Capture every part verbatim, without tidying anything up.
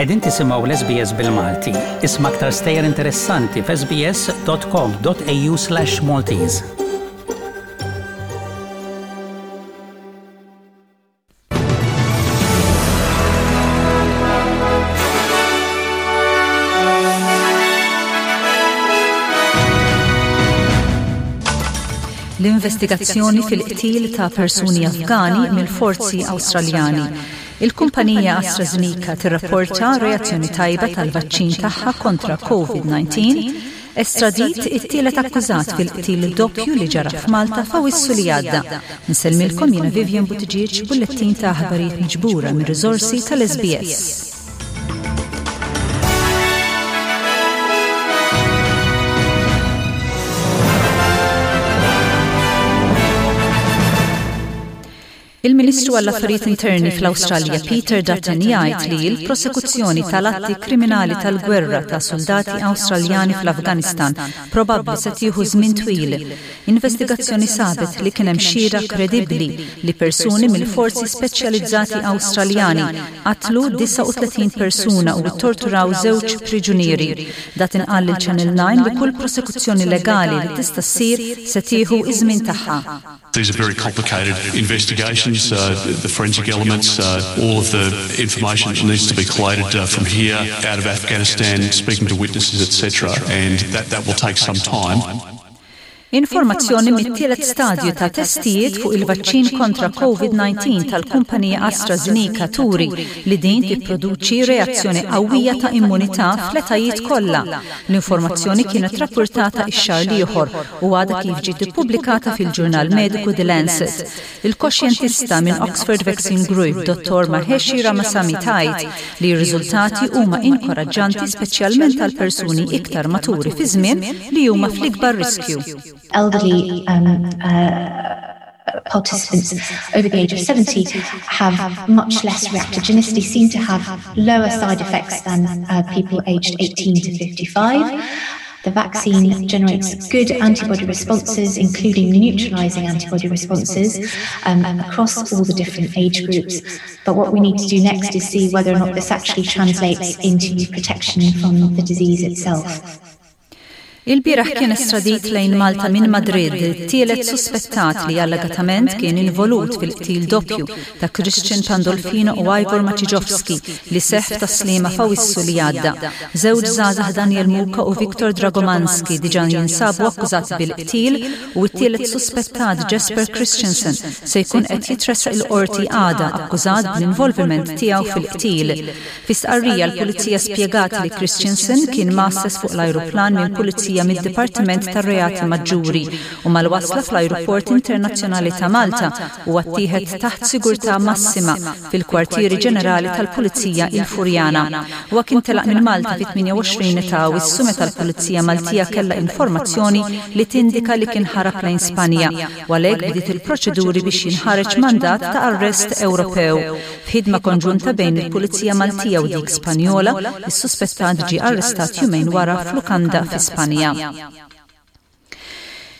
Qegħdin tisimgħu l-S B S bil-Malti. Isma' aktar stejjer interessanti f'S B S dot com dot A U slash Maltese. L-investigazzjoni fil-qtil ta' persuni Afgani mill-forzi Awstraljani. Il-kumpanija AstraZeneca tirrapporta reazzjoni tajba tal-vaċċin tagħha kontra COVID nineteen. Estradit it-tielet akkużat fil-qtil doppju li ġara f'Malta f'Awissu li għadda. Nsellmilkom jiena Vivian Buttigieg, bullettin ta' aħbarijiet miġbura minn riżorsi tal-S B S. Il-Ministru għall-Affarijiet Interni fl-Awstralja Peter Dutton jgħid li l-prosekuzzjoni tal-atti kriminali tal-gwerra ta' soldati Awstraljani fl-Afganistan probabbli se tieħu żmien twil. Investigazzjoni sabet li kien hemm xhieda kredibbli li persuni mill-forzi speċjalizzati Awstraljani qatlu disgħa u tletin persuna u torturaw żewġ priġunieri. Dutton qal lil Channel nine li kull prosekuzzjoni legali li tista' ssir se tieħu iż-żmien tagħha. These are very complicated investigations, uh, the forensic elements, uh, all of the information that needs to be collated uh, from here, out of Afghanistan, speaking to witnesses, et cetera, and that, that will take some time. Informazzjoni mit-tielet stadju ta' testijiet fuq il-vaċċin kontra COVID nineteen tal-kumpanija AstraZeneca turi li din tipproduċi reazzjoni qawwija ta' immunità fl-etajiet kollha. L-informazzjoni kienet rapportata ix-xahar l-ieħor u għadha kif ġiet ippubblikata fil-ġurnal mediku The Lancet. Il-koxjentista minn Oxford Vaccine Group, Dottor Maheshi Ramasamy, tgħid li r-riżultati huma inkoraġġanti, speċjalment għal persuni iktar maturi fi żmien li huma fl-ikbar riskju. Elderly um, uh, participants over the age of seventy have much less reactogenicity, seem to have lower side effects than uh, people aged eighteen to fifty-five. The vaccine generates good antibody responses, including neutralizing antibody responses um, across all the different age groups. But what we need to do next is see whether or not this actually translates into protection from the disease itself. Il-bieraħ kien estradit lejn Malta minn Madrid tielet suspettat li allegatament kien involut fil-qtil doppju ta' Christian Pandolfino u Ivor Maciejowski li seħ f'Tas-Sliema f'Awissu li għadda. Żewġ żgħażagħ, Daniel Muka u Viktor Dragomanski, diġà jinsabu akkużati bil-qtil u t-tielet suspettat, Jesper Christensen, se jkun qed jitressaq il-qorti għada akkużat bl-involviment tiegħu fil-qtil. Fi stqarrija l-pulizija spjegat li Christensen kien mgħasses fuq l-ajruplan minn pulizija mid-Dipartiment tar-Reati Maġġuri u mal-wasla fl-Ajruport Internazzjonali ta' Malta u ttieħed taħt sigurtà massima fil-kwartieri ġenerali tal-Pulizija il-Furjana. Huwa kien telaq minn Malta fit-tmienja u għoxrin ta' Awwissu meta l-Pulizija Maltija kellha informazzjoni li tindika li kien ħarab lejn Spanja u għalhekk bdiet il-proċeduri biex jinħareġ mandat ta' arrest Ewropew. F'ħidma konġunta bejn il-Pulizija Maltija u dik Spanjola, is-suspettat ġie arrestat jumejn wara f'lukanda fi Spanja.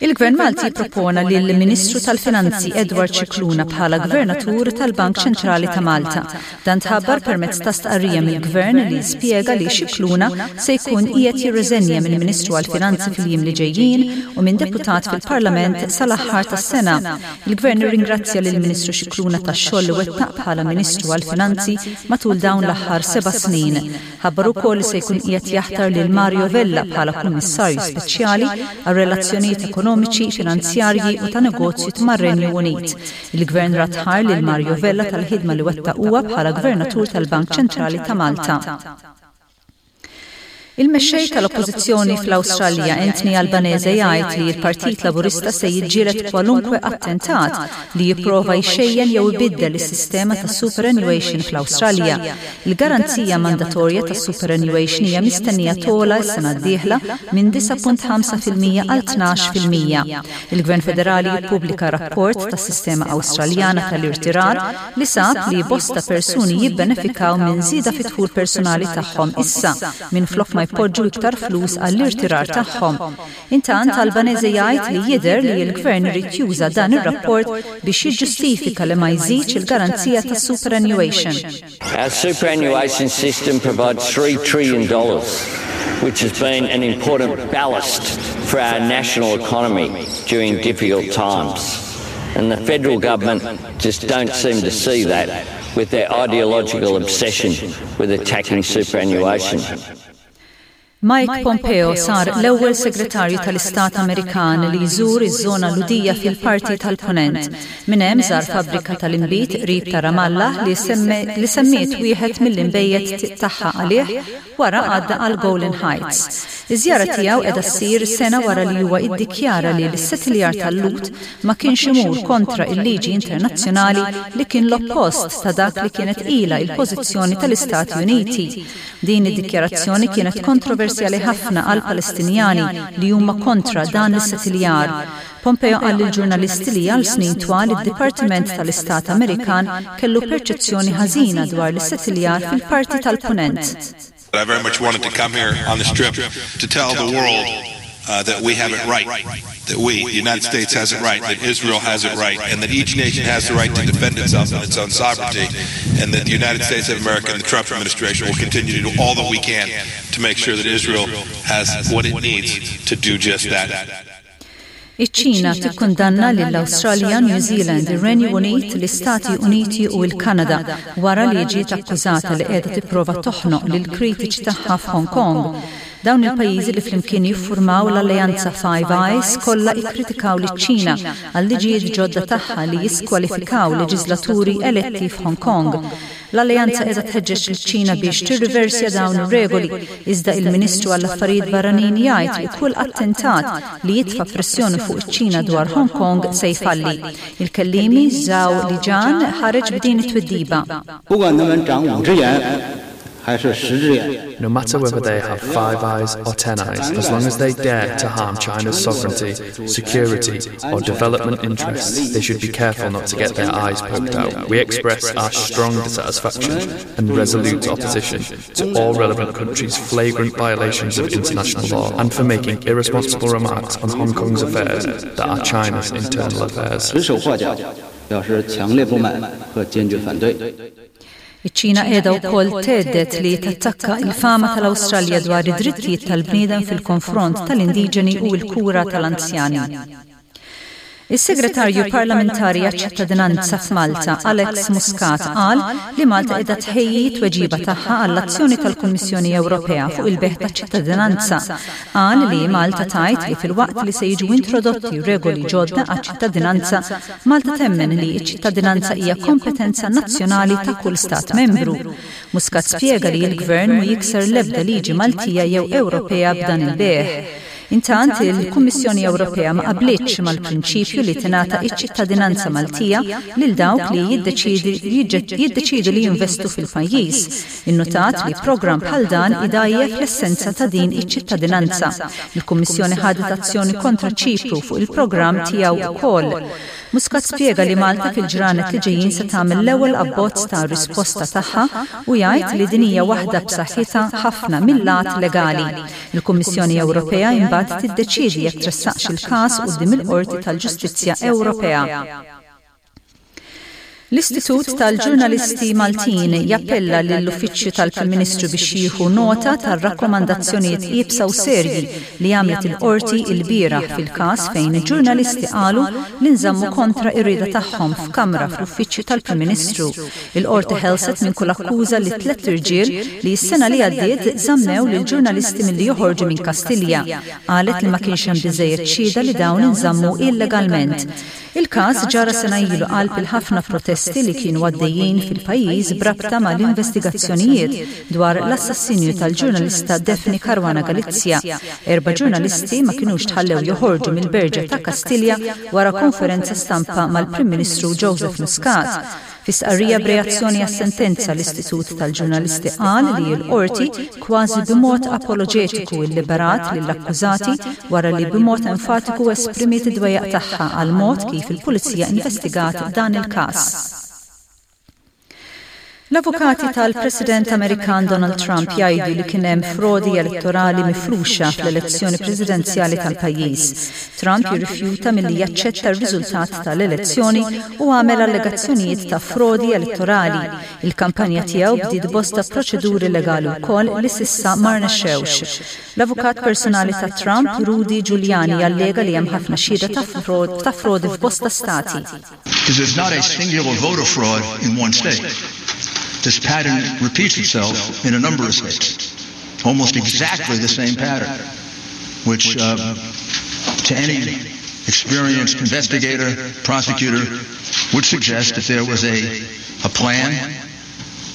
Il-Gvern Malti propona li l-Ministru tal-Finanzi Edward Scicluna bħala Gvernatur tal-Bank Ċentrali ta' Malta. Dan tħabbar permezz ta' stqarrija mill-Gvern li spjega li Scicluna se jkun qiegħed jirriżenja minn Ministru għall-Finanzi fil-jiem li ġejjin u minn deputat fil-Parlament sal-aħħar tas-sena. Il-Gvern irringrazzja lill-Ministru Scicluna tax-xogħol li wettaq bħala Ministru għall-Finanzi matul dawn l-aħħar seba' snin. Ħabbar ukoll li se jkun qiegħed jaħtar lil Mario Vella bħala Kummissarju Speċjali għal relazzjonijiet ekonomiċi, finanzjarji u ta' negozju mar-Renju Unit. Il-Gvern radd ħajr lil Mario Vella tal-ħidma li wettaq huwa bħala Gvernatur tal-Bank Ċentrali ta' Malta. Il-mexxej tal-Oppożizzjoni fl-Awstralja Anthony Albanese jgħid li l-Partit Laburista se jiġġieled kwalunkwe attentat li jipprova jxejjen jew ibiddel is-sistema ta' superannuation fl-Awstralja. Il-garanzija mandatorja ta' superannuation hija mistennija togħla s-sena d-dieħla minn disgħa punt ħamsa fil-mija għal tnax fil-mija. Il-Gvern Federali jippubblika rapport tas-sistema Awstraljana tal-irtirar li sab li bosta persuni jibbenefikaw minn żieda fit-dħul personali tagħhom issa minn flok ma jpoġġu iktar flus għall-irtirar tagħhom. Intant Albanese jgħid li jidher li l-gvern irid juża dan ir-rapport biex jiġġustifika li ma jżidx il-garanzija tas-superannuation. Our superannuation system provides three trillion dollars, which has been an important ballast for our national economy during difficult times. And the federal government just don't seem to see that with their ideological obsession with attacking superannuation. Mike Pompeo sar l-ewwel segretarju tal-Istat Amerikan li jżur iż-żona Lhudija fil-parti tal-Punent. Minn hemm żar fabbrika tal-inbid qrib ta' Ramallah li, li semmiet wieħed mill-inbejjed tagħha għalih, wara għadda għal Golan Heights. Iż-żjara tiegħu qiegħda ssir sena wara li huwa iddikjara li l-issettiljar tal-Lhud ma kienx imur kontra il-liġi internazzjonali, li kien l-oppost ta' dak li kienet ila il-pożizzjoni tal-Istati Uniti. Din id-dikjarazzjoni kienet kontroversjali ħafna għal Palestinjani li huma kontra dan l-issettiljar. Pompeo qal lill-ġurnalisti li għal snin twal id-Dipartiment tal-Istat Amerikan kellu perċezzjoni ħażina dwar l-issettiljar fil-parti tal-Punent. I very much wanted to come here on this trip to tell the world uh, that we have it right, that we, the United States, has it right, that Israel has it right, and that each nation has the right to defend itself and its own sovereignty, and that the United States of America and the Trump administration will continue to do all that we can to make sure that Israel has what it needs to do just that. Iċ-Ċina tikkundanna lill-Awstralja, New Zealand, ir-Renju Unit, l-Istati Uniti u l-Kanada wara li ġiet akkużata li qiegħda tipprova toħnoq lil kritiċi tagħha f'Hong Kong. Dawn il-pajjiżi, li flimkien jiffurmaw l-Alleanza Five Eyes, kollha ikkritikaw liċ-Ċina għal liġijiet ġodda tagħha li jiskwalifikaw leġislaturi eletti f'Hong Kong. L-Alleanza qiegħda tħeġġeġ liċ-Ċina biex tirriversja dawn ir-regoli, iżda il-Ministru għall-Affarijiet Barranin jgħid li kull attentat li jitfa' pressjoni fuq iċ-Ċina dwar Hong Kong se jfalli. Il-kellimi Zhao Lijian ħareġ b'din it-twiddiba. 不管他们长五只眼还是十只眼。 No matter whether they have five eyes or ten eyes, as long as they dare to harm China's sovereignty, security, or development interests, they should be careful not to get their eyes poked out. We express our strong dissatisfaction and resolute opposition to all relevant countries' flagrant violations of international law and for making irresponsible remarks on Hong Kong's affairs that are China's internal affairs. 指手画脚，表示强烈不满和坚决反对。 Iċ-Ċina qiegħda wkoll thedded li tattakka il-fama tal-Awstralja dwar id-drittijiet tal-bniedem fil-konfront tal-indiġeni u l-kura tal-anzjani. Is-Segretarju Parlamentari għaċ-ċittadinanza f'Malta, Alex Muscat, qal li Malta qiegħda tħejji tweġiba tagħha għall-azzjoni tal-Kummissjoni Ewropea fuq il-bejgħ taċ-ċittadinanza. Qal li Malta tgħid li filwaqt li se jiġu introdotti regoli ġodda għaċ-ċittadinanza, Malta temmen li ċ-ċittadinanza hija kompetenza nazzjonali ta' kull stat membru. Muscat spjega li l-gvern mu jikser l-ebda liġi Maltija jew Ewropea b'dan il-bejgħ. Intant, il-Kummissjoni Ewropea ma qablitx mal-prinċipju li tingħata iċ-ċittadinanza Maltija lil dawk li jiddeċidu li jinvestu fil-pajjiż. Innotat li programm bħal dan idgħajjef l-essenza ta' din iċ-ċittadinanza. Il-Kummissjoni ħadet azzjoni kontra Ċipru fuq il-programm tiegħu wkoll. Muscat spjega li Malta fil-ġranet li ġejjin se tagħmel l-ewwel abbozz ta' risposta tagħha u jgħid li din hija waħda b'saħħitha ħafna mill-lat legali. Il-Kummissjoni Ewropea imbagħad tiddeċiedi jekk tressaqx il-każ quddiem il-Qorti tal-Ġustizzja Ewropea. L-Istitut tal-Ġurnalisti Maltin jappella lill-Uffiċċju tal-Prim Ministru biex jieħu nota tar-rakkomandazzjonijiet iebsa u serji li għamlet il-qorti il-bieraħ fil-każ fejn il-ġurnalisti qalu li nżammu kontra ir-rieda tagħhom f'kamra fl-Uffiċċju tal-Prim Ministru. Il-qorti ħelset minn kull akkuża li tliet irġiel li s-sena li għaddiet żammew lil ġurnalisti milli joħorġu minn Kastilja. Qalet li ma kienx hemm biżejjed xhieda li dawn inżammu illegalment. Il-każ ġara sena ilu qalb il-ħafna protesti li kienu għaddejjin fil-pajjiż b'rabta mal-investigazzjonijiet dwar l-assassinju tal-ġurnalista Daphne Caruana Galizia. Erba' ġurnalisti ma kienux tħallew joħorġu mill-Berġa ta' Kastilja wara konferenza stampa mal-Prim Ministru Joseph Muscat. Fi stqarrija b'reazzjoni għas-sentenza, l-Istitut tal-Ġurnalisti qal li l-qorti kważi b'mod apoloġetiku illiberat lill-akkużati wara li b'mod enfatiku esprimiet id-dwejjaq tagħha għal mod kif il-Pulizija investigat dan il-każ. L-avukati tal-President Amerikan Donald Trump jgħidu li kien hemm frodi elettorali mifruxa fl-elezzjoni presidenzjali tal-pajjiż. Trump jirrifjuta milli jaċċetta r-riżultat tal-elezzjoni u għamel allegazzjonijiet ta' frodi elettorali. Il-kampanja tiegħu bdiet bosta proċeduri legali wkoll li s'issa ma rnexxewx. L-avukat personali ta' Trump, Rudy Giuliani, jallega li hemm ħafna xhieda ta' frodi f'bosta stati. Because there's not a singular voter fraud in one state. This pattern repeats itself in a number of states. Almost exactly the same pattern, which uh, to any experienced investigator, prosecutor, would suggest that there was a, a plan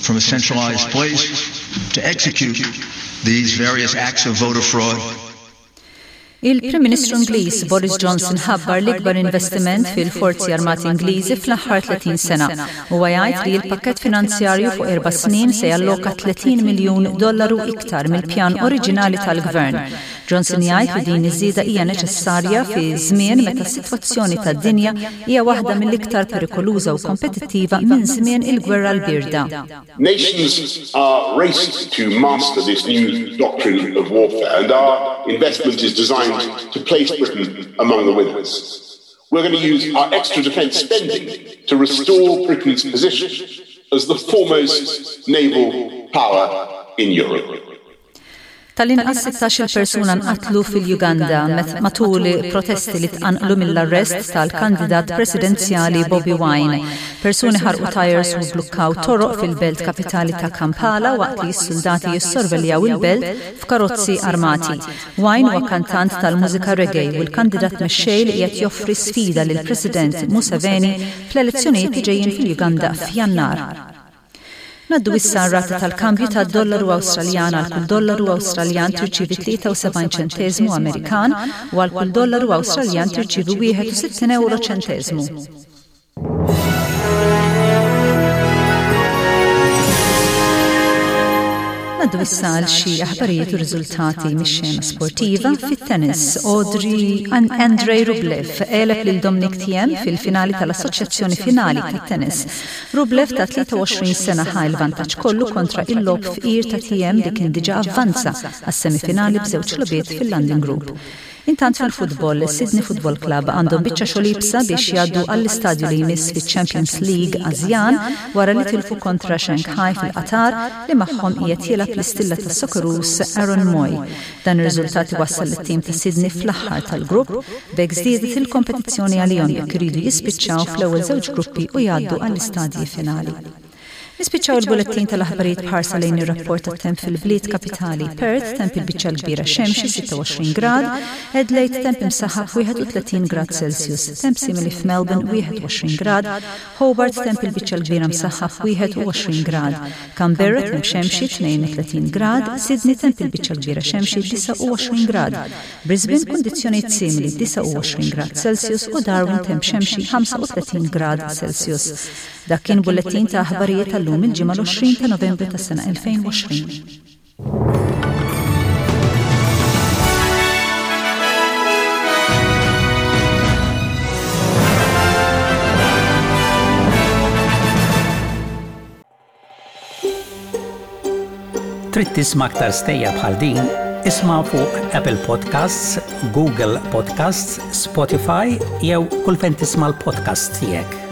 from a centralized place to execute these various acts of voter fraud. Il-Prim Ministru Ingliż Boris Johnson ħabbar l-ikbar investiment fil-Forzi Armati Ingliżi fl-aħħar tletin sena. Huwa jgħid li l-pakkett finanzjarju fuq erba' snin se jalloka tletin miljun dollaru iktar mill-pjan oriġinali tal-Gvern. Johnson jgħid li din iż-żieda hija neċessarja fi żmien meta s-sitwazzjoni tad-dinja hija waħda mill-iktar perikoluża u kompetittiva minn żmien il-Gwerra l-Birda. Nations are raced to master this new doctrine of warfare, and our investment is designed to place Britain among the winners. We're going to use our extra defence spending to restore Britain's position as the foremost naval power in Europe. Tal-inqas sittax-il persuna nqatlu fil-Uganda matul protesti li tqanqlu mill-arrest tal-kandidat presidenzjali Bobi Wine. Persuni ħarqu tires u blukkaw toroq fil-belt kapitali ta' Kampala waqt li s-soldati jissorveljaw il-belt f'karozzi armati. Wine huwa kantant tal-mużika reggae u l-kandidat mexxej li qed joffri sfida lill-President Museveni fl-elezzjonijiet li ġejjin fil-Uganda f'Jannar. Ngħaddu issa r-rata tal-kambju tad-dollaru Awstraljan. Għal kull dollaru Awstraljan tirċievi tlieta u sebgħin ċenteżmu Amerikan u għal kull dollaru Awstraljan tirċievi wieħed u sittin euro ċenteżmu. Ngħaddu issa għal xi aħbarijiet u riżultati mix-xena sportiva. Fit-tennis, Audrey Andrei Rublev għeleb lil Dominic Thiem fil-finali tal-Assoċjazzjoni Finali tat-Tennis. Rublev ta' tlieta u għoxrin sena ħa l-vantaġġ kollu kontra il-logħob fqir ta' Thiem, li kien diġà avvanza għas-semifinali b'żewġ logħbiet fil-London Group. Intant fil-futbol, Sydney Football Club għandhom biċċa xogħol iebsa biex jgħaddu għall-istadju li jmiss fiċ-Champions League Asjan wara li tilfu kontra Shanghai fil-Qatar, li magħhom qiegħed jilgħab l-istilla tas-Socceroos Aaron Mooy. Dan ir-riżultat wassal lit-tim ta' Sydney fl-aħħar tal-grupp, b'hekk żdiedet il-kompetizzjoni għalihom jekk iridu jispiċċaw fl-ewwel żewġ gruppi u jgħaddu għall-istadji finali. Nispiċċaw il-bulettin tal-aħbarijiet b'ħarsa lejn ir-rapport tat-temp fil-bliet kapitali. Perth, temp il-biċċa l-kbira xemxi, sitta u għoxrin grad, Adelaide, temp imsaħħab, wieħed u tletin grad Celsius, temp simili f'Melbourne, wieħed u għoxrin grad, Hobart, temp il-biċċa l-kbira msaħħab, wieħed u għoxrin grad, Canberra, temp xemxi, tnejn u tletin grad, Sydney, temp il-biċċa l-kbira xemxi, disgħa u għoxrin grad, Brisbane, kundizzjonijiet simili, disgħa u għoxrin grad Celsius, u Darwin, temp xemxi, ħamsa u tletin grad Celsius. Dak kien bullettin ta' aħbarijiet tal-lum, il-Ġimgħa l-għoxrin ta' Novembru tas-sena elfejn u għoxrin. Trid tisma' aktar stejjer bħal din? Isma' fuq Apple Podcasts, Google Podcasts, Spotify jew kull fejn tisma' l-podcast tiegħek.